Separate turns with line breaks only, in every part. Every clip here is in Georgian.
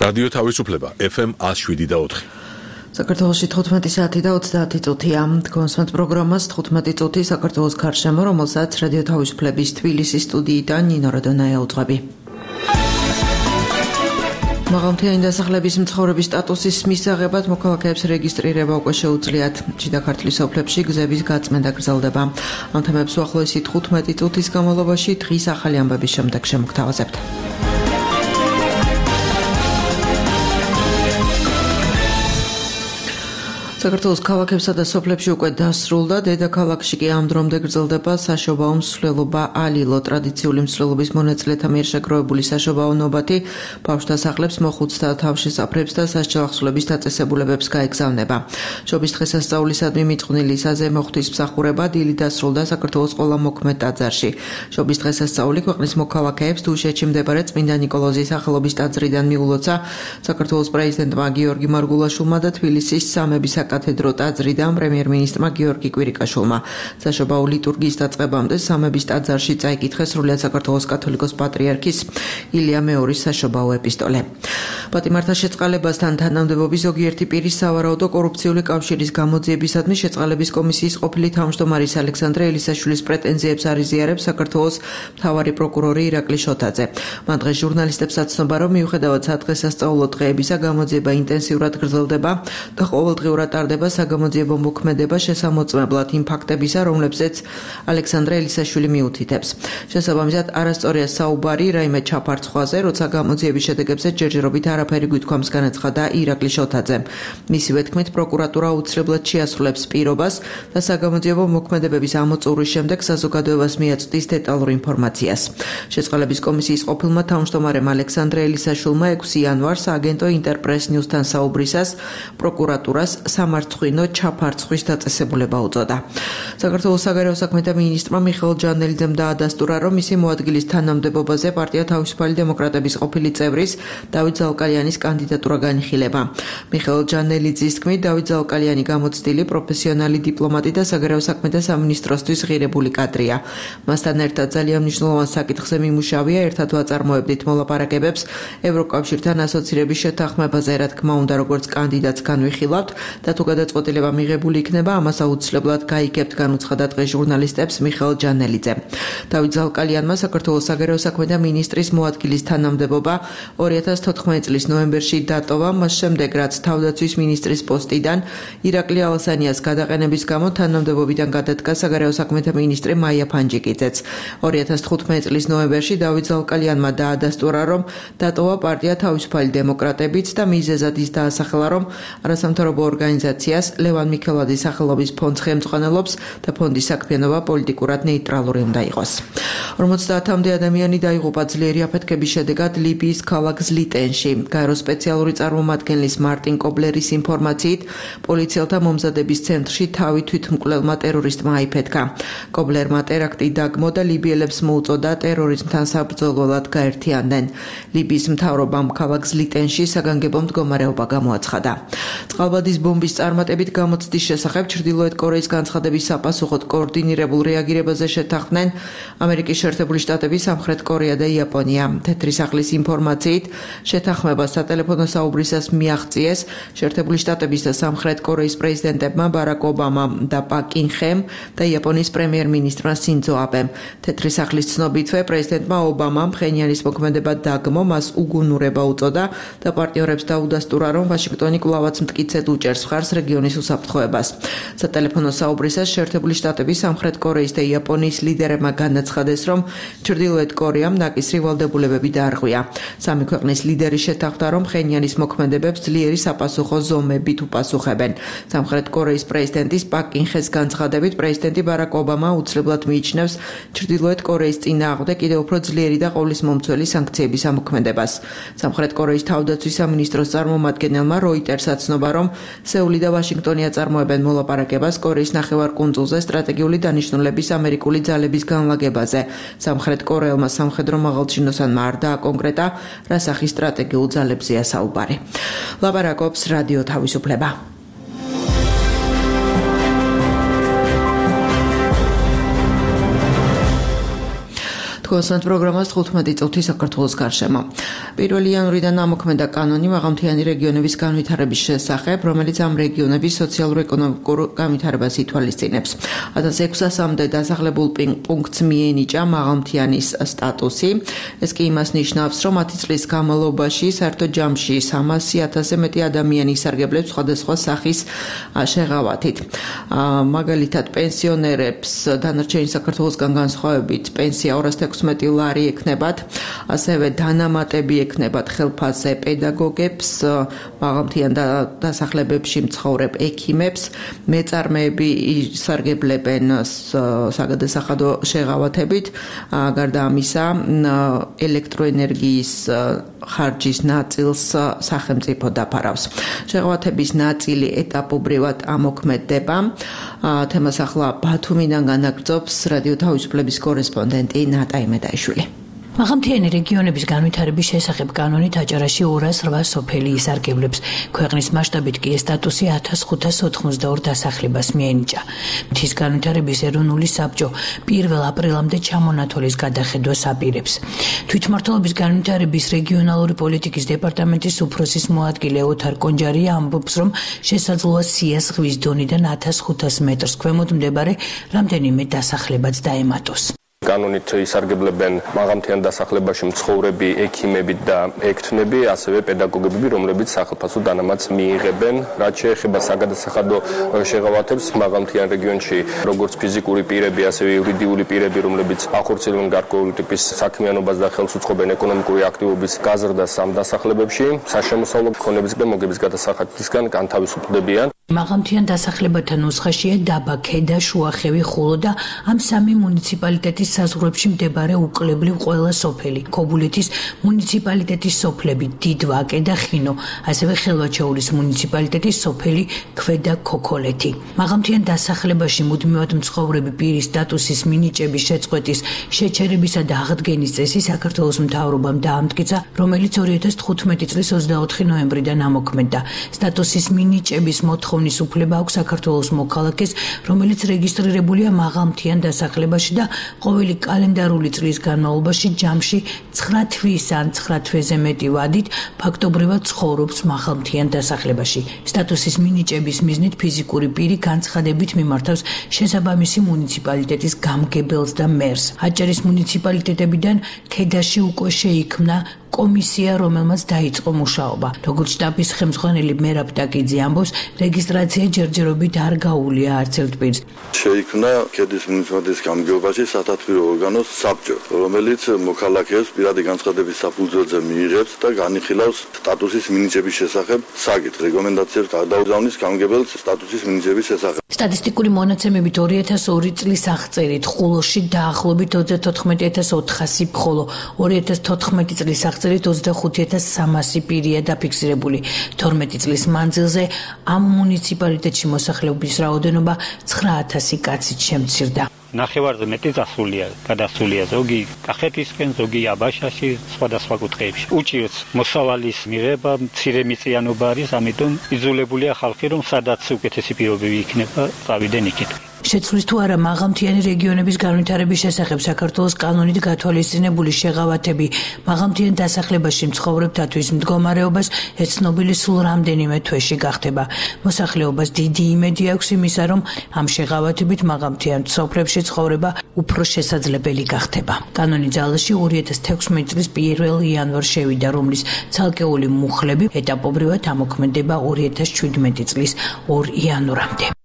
რადიო თავისუფლება FM 107.4.
საქართველოში 15 საათი და 30 წუთია. კონსმეთ პროგრამას 15 წუთი საქართველოს გარშემო, რომელსაც რადიო თავისუფლების თბილისის სტუდიიდან ნინო როდონაია უძღვები. მაღალმთიანი დასახლების მცხოვრების სტატუსის მისაღებად მოქალაქეებს რეგისტრირება უკვე შეუძლიათ. შიდა ქართლის ოფლებში გზების გაწმენდა გრძელდება. ამ თემებს უახლოესი 15 წუთის განმავლობაში დღის ახალი ამბების შემდეგ შემოგთავაზებთ. საქართველოს ქალაქებსა და სოფლებში უკვე დასრულდა, დედაქალაქში კი ამ დრომდე გრძელდება საშობაო მსვლელობა ალილო. ტრადიციული მსვლელობის მონაწილეთა მიერ შეგროვებული საშობაო ნობათი ბავშვთა სახლებს, მოხუცთა თავშესაფრებს და სასჯელახსოვრების დაწესებულებებს გაეგზავნება. შობის დღესასწაულისადმი მიწყვნილი საზეიმო ღვთისმსახურება დილით დასრულდა საქართველოს ყველა მოქმედ ტაძარში. შობის დღესასწაული ქვეყნის მოქალაქეებს დუშეთში მდებარე წმინდა ნიკოლოზის სახელობის ტაძრიდან მიულოცა საქართველოს პრეზიდენტმა გიორგი მარგულაშვილმა და თბილისის სამების კათედრო ტაძრიდან პრემიერ-მინისტრმა გიორგი კვირიკაშვილმა. საშობაო ლიტურგიის დაწყებამდე სამების ტაძარში წაიკითხეს სრულიად საქართველოს კათოლიკოს პატრიარქის ილია მეორის საშობაო ეპისტოლე. პატიმართა შეწყალებასთან თანამდებობის ზოგიერთი პირის სავარაუდო კორუფციული კავშირის გამოძიებისადმი შეწყალების კომისიის ყოფილი თავმჯდომარის ალექსანდრე ელისაშვილის პრეტენზიებს არიზიარებს საქართველოს მთავარი პროკურორი ირაკლი შოთაძე. მან დღეს ჟურნალისტებს აცნობა, რომ მიუხედავად სადღესასწაულო დღეებისა გამოძიება ინტენსიურად გრძელდება და ყოველდღიურად ტარდება საგამოძიებო მოქმედება შესამოწმებლად იმ ფაქტებისა, რომლებზეც ალექსანდრე ელისაშვილი მიუთითებს. შესაბამისად, არასწორია საუბარი რაიმე ჩაფარცხვაზე, როცა გამოძიების შედეგებზე ჯერჯერობით არაფერი გვითქვამს, განაცხადა ირაკლი შოთაძემ. მისივე თქმით, პროკურატურა აუცილებლად შეასრულებს პირობას და საგამოძიებო მოქმედებების ამოწურვის შემდეგ საზოგადოებას მიაწვდის დეტალურ ინფორმაციას. შეწყალების კომისიის ყოფილმა თავმჯდომარემ ალექსანდრე ელისაშვილმა 6 იანვარს აგენტო ინტერპრეს ნიუსთან საუბრისას პროკურატურას სამარცხვინო ჩაფარცხვის დაწესებულება უწოდა. საქართველოს საგარეო საქმეთა მინისტრმა მიხეილ ჯანელიძემ დაადასტურა, რომ მისი მოადგილის თანამდებობაზე პარტია თავისუფალი დემოკრატების ყოფილი წევრის დავით ზალკალიანის კანდიდატურა განიხილება. მიხეილ ჯანელიძის თქმით, დავით ზალკალიანი გამოცდილი პროფესიონალი დიპლომატი და საგარეო საქმეთა სამინისტროსთვის ღირებული კადრია. მასთან ერთად ძალიან მნიშვნელოვან საკითხზე მიმუშავია, ერთად ვაწარმოებდით მოლაპარაკებებს ევროკავშირთან ასოცირების შეთანხმებაზე, რა თქმა უნდა, როგორც კანდიდატს განვიხილავთ და თუ გადაწყვეტილება მიღებული იქნება, ამას აუცილებლად გაიგებთ, განუცხადა დღეს ჟურნალისტებს მიხეილ ჯანელიძე. დავით ზალკალიანმა საქართველოს საგარეო საქმეთა მინისტრის მოადგილის თანამდებობა 2014 წლის ნოემბერში დატოვა, მას შემდეგ რაც თავდაცვის მინისტრის პოსტიდან ირაკლი ალასანიას გადაყენების გამო თანამდებობიდან გადადგა საგარეო საქმეთა მინისტრი მაია ფანჯიკიძეც. 2015 წლის ნოემბერში დავით ზალკალიანმა დაადასტურა, რომ დატოვა პარტია თავისუფალი დემოკრატებიც და მიზეზად ის დაასახელა, რომ არასამთავრობო ორგანიზაციას ლევან მიქელაძის სახელობის ფონდს ხელმძღვანელობს და ფონდის საქმიანობა პოლიტიკურად ნეიტრალური უნდა იყოს. 50-მდე ადამიანი დაიღუპა ძლიერი აფეთქების შედეგად ლიბიის ქალაქ ზლიტენში. გაერო სპეციალური წარმომადგენლის მარტინ კობლერის ინფორმაციით, პოლიციელთა მომზადების ცენტრში თავი თვითმკვლელმა ტერორისტმა აიფეთქა. კობლერმა ტერაქტი დაგმო და ლიბიელებს მოუწოდა ტერორიზმთან საბრძოლველად გაერთიანდნენ. ლიბიის მთავრობამ ქალაქ ზლიტენში საგანგებო მდგომარეობა გამოაცხადა. წყალბადის ბომბის წარმატებით გამოცდის შესახებ ჩრდილოეთ კორეის განცხადების საპასუხოდ კოორდინირებულ რეაგირებაზე შეთანხმდნენ ამერიკის შეერთებული შტატები, სამხრეთ კორეა და იაპონია. თეთრი სახლის ინფორმაციით, შეთანხმება სატელეფონო საუბრისას მიაღწიეს შეერთებული შტატების და სამხრეთ კორეის პრეზიდენტებმა ბარაკ ობამამ და პაკ კინ ხემ და იაპონიის პრემიერ-მინისტრმა სინძო აბემ. თეთრი სახლის ცნობითვე პრეზიდენტმა ობამამ ფხენიანის მოქმედება დაგმო, მას უგუნურება უწოდა და პარტნიორებს დაუდასტურა, რომ ვაშინგტონი კვლავაც მტკიცედ უჭერს მხარს რეგიონის უსაფრთხოებას. სატელეფონო საუბრისას შეერთებული შტატების, სამხრეთ კორეის და იაპონიის ლიდერებმა განაცხადეს, რომ ჩრდილოეთ კორეამ ნაკისრი ვალდებულებები დაარღვია. სამი ქვეყნის ლიდერი შეთანხმდა, რომ ფხენიანის მოქმედებებს ძლიერი sapasukho ზომებით უპასუხებენ. სამხრეთ კორეის პრეზიდენტის პაკ კინ ხეს განცხადებით, პრეზიდენტი ბარაკ ობამა უცვლელად მიიჩნევს ჩრდილოეთ კორეის წინააღმდეგ კიდევ უფრო ძლიერი და ყოვლისმომცველი სანქციების ამოქმედებას. სამხრეთ კორეის თავდაცვის სამინისტროს წარმომადგენელმა როიტერს აცნობა, რომ სეული და ვაშინგტონი აწარმოებენ მოლაპარაკებას კორეის ნახევარკუნძულზე სტრატეგიული დანიშნულების ამერიკული ძალების განლაგებაზე. სამხრეთ კორეელმა სამხედრო მაღალჩინოსანმა არ დააკონკრეტა, რა სახის სტრატეგიულ ძალებზეა საუბარი. ლაპარაკობს რადიო თავისუფლება. Თქვენს პროგრამას 15 წუთი საქართველოს გარშემო. 1 იანვრიდან ამოქმედა კანონი მაღალმთიანი რეგიონების განვითარების შესახებ, რომელიც ამ რეგიონების სოციალურ-ეკონომიკურ განვითარებას ითვალისწინებს. 1600-მდე დასახლებულ პუნქტს მიენიჭა მაღალმთიანის სტატუსი. ეს კი იმას ნიშნავს, რომ 10 წლის განმავლობაში საერთოდ ჯამში 300,000-ზე მეტი ადამიანი ისარგებლებს სხვადასხვა სახის შეღავათით. მაგალითად, პენსიონერებს დანარჩენი საქართველოსგან განსხვავებით პენსია 216 ლარი ექნებათ, ასევე დანამატები ექნებათ ხელფასზე პედაგოგებს, მაღალმთიან დასახლებებში მცხოვრებ ექიმებს, მეწარმეები ისარგებლებენ საგადასახადო შეღავათებით, გარდა ამისა, ელექტროენერგიის ხარჯის ნაწილს სახელმწიფო დაფარავს. შეღავათების ნაწილი ეტაპობრივად ამოქმედდება. თემას ახლა ბათუმიდან განაგრძობს რადიო თავისუფლების კორესპონდენტი ნატა იმედაიშვილი.
მაღალმთიანი რეგიონების განვითარების შესახებ კანონით აჭარაში 208 სოფელი ისარგებლებს. ქვეყნის მასშტაბით კი ეს სტატუსი 1582 დასახლებას მიენიჭა. მთის განვითარების ეროვნული საბჭო 1 აპრილამდე ჩამონათვალის გადახედვას აპირებს. თვითმმართველობის განვითარების რეგიონალური პოლიტიკის დეპარტამენტის უფროსის მოადგილე ოთარ კონჯარია ამბობს, რომ შესაძლოა სია ზღვის დონიდან 1500 მეტრს ქვემოთ მდებარე რამდენიმე დასახლებაც დაემატოს.
კანონით ისარგებლებენ მაღალმთიან დასახლებაში მცხოვრები ექიმები და ექთნები, ასევე პედაგოგები, რომლებიც სახელმწიფო დანამატს მიიღებენ. რაც შეეხება საგადასახადო შეღავათებს მაღალმთიან რეგიონში, როგორც ფიზიკური პირები, ასევე იურიდიული პირები, რომლებიც ახორციელებენ გარკვეული ტიპის საქმიანობას და ხელს უწყობენ ეკონომიკური აქტივობის გაზრდას ამ დასახლებებში, საშემოსავლო ქონების და მოგების გადასახადისგან განთავისუფლდებიან.
მაღალმთიან დასახლებათა ნუსხაშია დაბა, ქედა, შუახევი, ხულო და ამ სამი მუნიციპალიტეტის საზღვრებში მდებარე უკლებლივ ყველა სოფელი, ქობულეთის მუნიციპალიტეტის სოფლები, დიდვაკე და ხინო, ასევე ხელვაჩაურის მუნიციპალიტეტის სოფელი ქვედა ქოქოლეთი. მაღალმთიან დასახლებაში მუდმივად მცხოვრები პირის სტატუსის მინიჭების შეწყვეტის, შეჩერებისა და აღდგენის წესი საქართველოს მთავრობამ დაამტკიცა, რომელიც 2015 წლის 24 ნოემბრიდან ამოქმედდა. სტატუსის მინიჭების მოთხოვნის უფლება აქვს საქართველოს მოქალაქეს, რომელიც რეგისტრირებულია მაღალმთიან დასახლებაში და ყოველი კალენდარული წლის განმავლობაში ჯამში 9 თვის ან 9 თვეზე მეტი ვადით ფაქტობრივად ცხოვრობს მაღალმთიან დასახლებაში. სტატუსის მინიჭების მიზნით ფიზიკური პირი განცხადებით მიმართავს შესაბამისი მუნიციპალიტეტის გამგებელს და მერს. აჭარის მუნიციპალიტეტებიდან ქედაში უკვე შეიქმნა კომისია, რომელმაც დაიწყო მუშაობა. როგორც შტაბის ხელმძღვანელი მერაბ ტაკიძე ამბობს, რეგისტრაცია ჯერჯერობით არ გაუვლია არც ერთ პირს.
შეიქმნა ქედის მუნიციპალიტეტის გამგეობაში სათათბირო ორგანოს საბჭო, რომელიც მოქალაქეებს პირადი განცხადების საფუძველზე მიიღებს და განიხილავს სტატუსის მინიჭების შესახებ საკითხს, რეკომენდაციებს გადაუგზავნის გამგებელს სტატუსის მინიჭების შესახებ.
სტატისტიკური მონაცემებით 2002 წლის აღწერით ხულოში დაახლოებით 34400, ხოლო 2014 წლის აღწერით 25300 პირია დაფიქსირებული. 12 წლის მანძილზე ამ მუნიციპალიტეტში მოსახლეობის რაოდენობა 9000 კაცით შემცირდა.
ნახევარზე მეტი გადასულია ზოგი კახეთისკენ, ზოგი აბაშაში, სხვადასხვა კუთხეებში. უჭირს მოსავალის მიღება, მცირე მიწიანობა არის, ამიტომ იძულებულია ხალხი, რომ სადაც უკეთესი პირობები იქნება, წავიდნენ იქით.
შეცვლის თუ არა მაღალმთიანი რეგიონების განვითარების შესახებ საქართველოს კანონით გათვალისწინებული შეღავათები მაღალმთიან დასახლებაში მცხოვრებთათვის მდგომარეობას ეცნობილი სულ რამდენიმე თვეში გახდება. მოსახლეობას დიდი იმედი აქვს იმისა, რომ ამ შეღავათებით მაღალმთიან სოფლებში ცხოვრება უფრო შესაძლებელი გახდება. კანონი ძალაში 2016 წლის 1 იანვარს შევიდა, რომლის ცალკეული მუხლები ეტაპობრივად ამოქმედება 2017 წლის 2 იანვრამდე.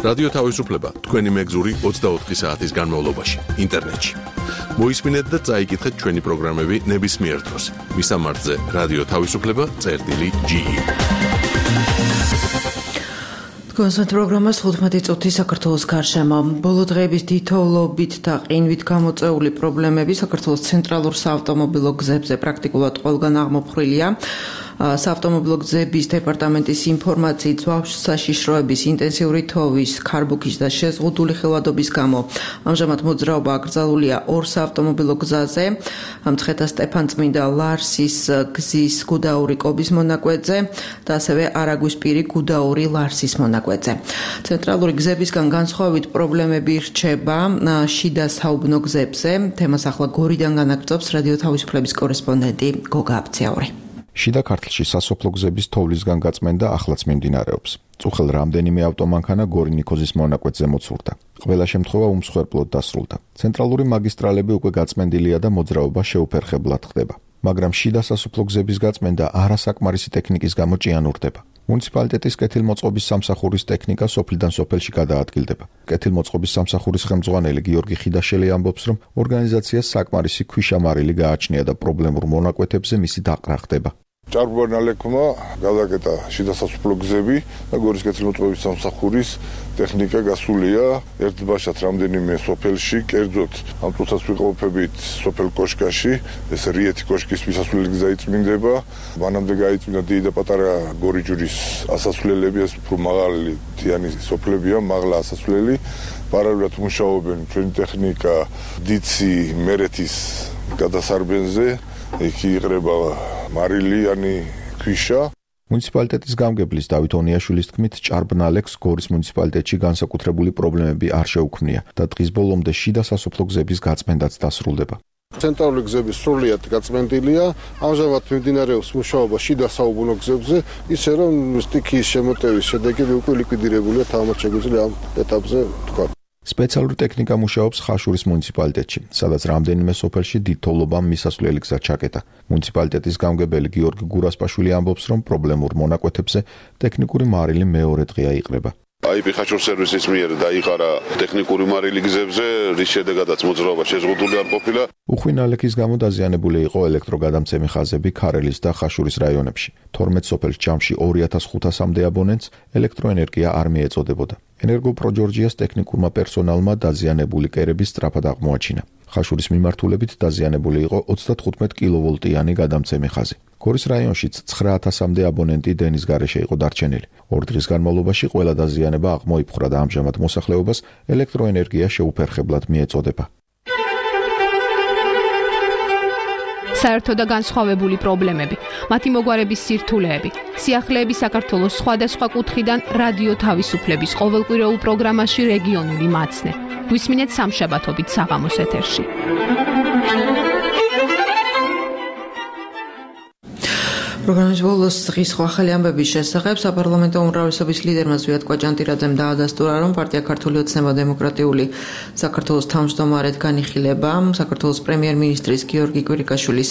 რადიო თავისუფლება თქვენი მეგზური 24 საათის განმავლობაში ინტერნეტში. მოისმინეთ და წაიკითხეთ ჩვენი პროგრამები ნებისმიერ დროს. მისამართზე რადიო თავისუფლება.ge.
თქვენს პროგრამას 15 წუთი საქართველოს გარშემო. ბოლო დღეების თითოეულობით და ყინვით გამოწეული პრობლემები საქართველოს ცენტრალურ საავტომობილო გზებზე პრაქტიკულად ყველგან აღმოფხვრილია. საავტომობილო გზების დეპარტამენტის ინფორმაციით საშიშროების ინტენსიური თოვის, ქარბუქის და შეზღუდული ხილვადობის გამო ამჟამად მოძრაობა აკრძალულია ორ საავტომობილო გზაზე, მცხეთა სტეფანწმინდა ლარსის გზის გუდაური კობის მონაკვეთზე და ასევე არაგვისპირი გუდაური ლარსის მონაკვეთზე. ცენტრალური გზებისგან განსხვავებით პრობლემები რჩება შიდა საუბნო გზებზე. თემას ახლა გორიდან განაგრძობს რადიო თავისუფლების კორესპონდენტი გოგა აბცაური.
შიდა ქართლში სასოფლო გზების თოვლისგან გაწმენდა ახლაც მიმდინარეობს. წუხელ რამდენიმე ავტომანქანა გორი-ნიქოზის მონაკვეთზე მოცურდა. ყველა შემთხვევა უმსხვერპლოდ დასრულდა. ცენტრალური მაგისტრალები უკვე გაწმენდილია და მოძრაობა შეუფერხებლად ხდება. მაგრამ შიდა სასოფლო გზების გაწმენდა არასაკმარისი ტექნიკის გამო ჭიანურდება. მუნიციპალიტეტის კეთილმოწყობის სამსახურის ტექნიკა სოფლიდან სოფელში გადაადგილდება. კეთილმოწყობის სამსახურის ხელმძღვანელი გიორგი ხიდაშელი ამბობს, რომ ორგანიზაციას საკმარისი ქვიშამარილი გააჩნია და პრობლემურ მონაკვეთებზე მისი დაყრა ხდება.
ჭარბანალექმა გადაკეტა შიდა სასოფლო გზები და გორის კეთილმოწყობის სამსახურის ტექნიკა გასულია ერთბაშად რამდენიმე სოფელში, კერძოდ ამ წუთას ვიყოფებით სოფელ კოშკაში, ეს რიეთი კოშკის მისასვლელი გზა იწმინდება, მანამდე გაიწმინდა დიდი და პატარა გორიჯვრის ასასვლელები, ეს უფრო მაღალი მთიანი სოფლებია, მაღლა ასასვლელი, პარალელურად მუშაობენ ჩვენი ტექნიკა დიცი მერეთის გადასარბენზე, εκεί იღრება მარილიანი ქვიშა.
მუნიციპალიტეტის გამგებლის დავით ონიაშვილის თქმით, ჭარბნალექს გორის მუნიციპალიტეტში განსაკუთრებული პრობლემები არ შეუქმნია და დღის ბოლომდე შიდა სასოფლო გზების გაწმენდაც დასრულდება.
ცენტრალური გზები სრულიად გაწმენდილია, ამჟამად მიმდინარეობს მუშაობა შიდა საუბნო გზებზე, ისე რომ სტიქიის შემოტევის შედეგები უკვე ლიკვიდირებულია, თამამად შეგვიძლია ამ ეტაპზე თქვა.
სპეციალური ტექნიკა მუშაობს ხაშურის მუნიციპალიტეტში, სადაც რამდენიმე სოფელში დიდთოვლობამ მისასვლელი გზა ჩაკეტა. მუნიციპალიტეტის გამგებელი გიორგი გურასპაშვილი ამბობს, რომ პრობლემურ მონაკვეთებზე ტექნიკური მარილი მეორე დღეა იყრება.
IP ხაშურ სერვისის მიერ დაიყარა ტექნიკური მარილი გზებზე, რის შედეგადაც მოძრაობა შეზღუდული არ ყოფილა.
უხვინალექის გამო დაზიანებული იყო ელექტროგადამცემი ხაზები ქარელის და ხაშურის რაიონებში. 12 სოფელს ჯამში 2500-მდე აბონენტს ელექტროენერგია არ მიეწოდებოდა. ენერგოპროჯორჯიას ტექნიკურმა პერსონალმა დაზიანებული კერების სწრაფად აღმოაჩინა. ხაშურის მიმართულებით დაზიანებული იყო 35 კილოვოლტიანი გადამცემი ხაზი. გორის რაიონშიც 9000-მდე აბონენტი დენის გარეშე იყო დარჩენილი. 2 დღის განმავლობაში ყველა დაზიანება აღმოიფხვრა და ამჟამად მოსახლეობას ელექტროენერგია შეუფერხებლად მიეწოდება.
საერთო და განსხვავებული პრობლემები, მათი მოგვარების სირთულეები, სიახლეები საქართველოს სხვადასხვა კუთხიდან რადიო თავისუფლების ყოველკვირეულ პროგრამაში რეგიონული მაცნე. გვისმინეთ სამშაბათობით საღამოს ეთერში.
პროგრამის ბოლოს დღის სხვა ახალი ამბების შესახებ საპარლამენტო უმრავლესობის ლიდერმა ზვიად კვაჭანტირაძემ დაადასტურა, რომ პარტია ქართული ოცნება დემოკრატიული საქართველოს თავმჯდომარედ განიხილება საქართველოს პრემიერ-მინისტრის გიორგი კვირიკაშვილის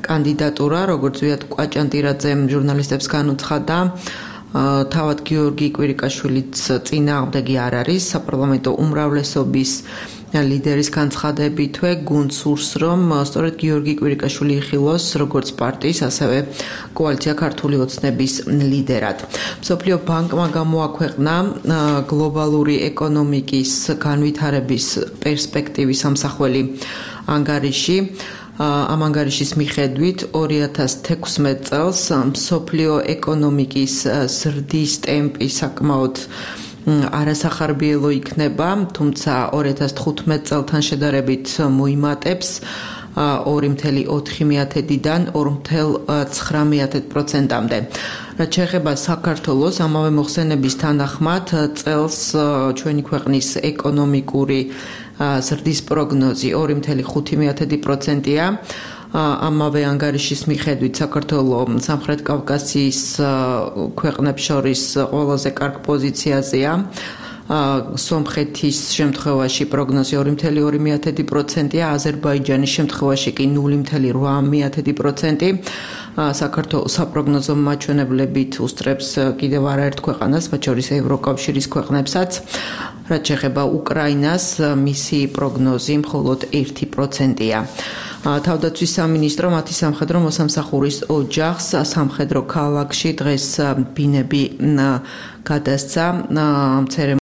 კანდიდატურა, როგორც ზვიად კვაჭანტირაძემ ჟურნალისტებს განუცხადა. თავად გიორგი კვირიკაშვილიც წინააღმდეგი არ არის საპარლამენტო უმრავლესობის ლიდერის განცხადებითვე გუნდს სურს, რომ სწორედ გიორგი კვირიკაშვილი იხილოს როგორც პარტიის, ასევე კოალიცია ქართული ოცნების ლიდერად. მსოფლიო ბანკმა გამოაქვეყნა გლობალური ეკონომიკის განვითარების პერსპექტივის ამსახველი ანგარიში. ამ ანგარიშის მიხედვით 2016 წელს მსოფლიო ეკონომიკის ზრდის ტემპი საკმაოდ არასახარბიელო იქნება, თუმცა 2015 წელთან შედარებით მოიმატებს 2,4%-დან 2,9%-მდე. რაც შეეხება საქართველოს, ამავე მოხსენების თანახმად წელს ჩვენი ქვეყნის ეკონომიკური ზრდის პროგნოზი 2,5%-ია. ამავე ანგარიშის მიხედვით საქართველოს სამხრეთ კავკასიის ქვეყნებს შორის ყველაზე კარგ პოზიციაზეა. სომხეთის შემთხვევაში პროგნოზი 2,2%-ია, აზერბაიჯანის შემთხვევაში კი 0,8%. საქართველოს საპროგნოზო მაჩვენებლებით უსწრებს კიდევ არაერთ ქვეყანას, მათ შორის ევროკავშირის ქვეყნებსაც. რაც შეეხება უკრაინას, მისი პროგნოზი მხოლოდ 1%-ია. თავდაცვის სამინისტრო მათი სამხედრო მოსამსახურის ოჯახს სამხედრო ქალაქში დღეს ბინები გადასცა.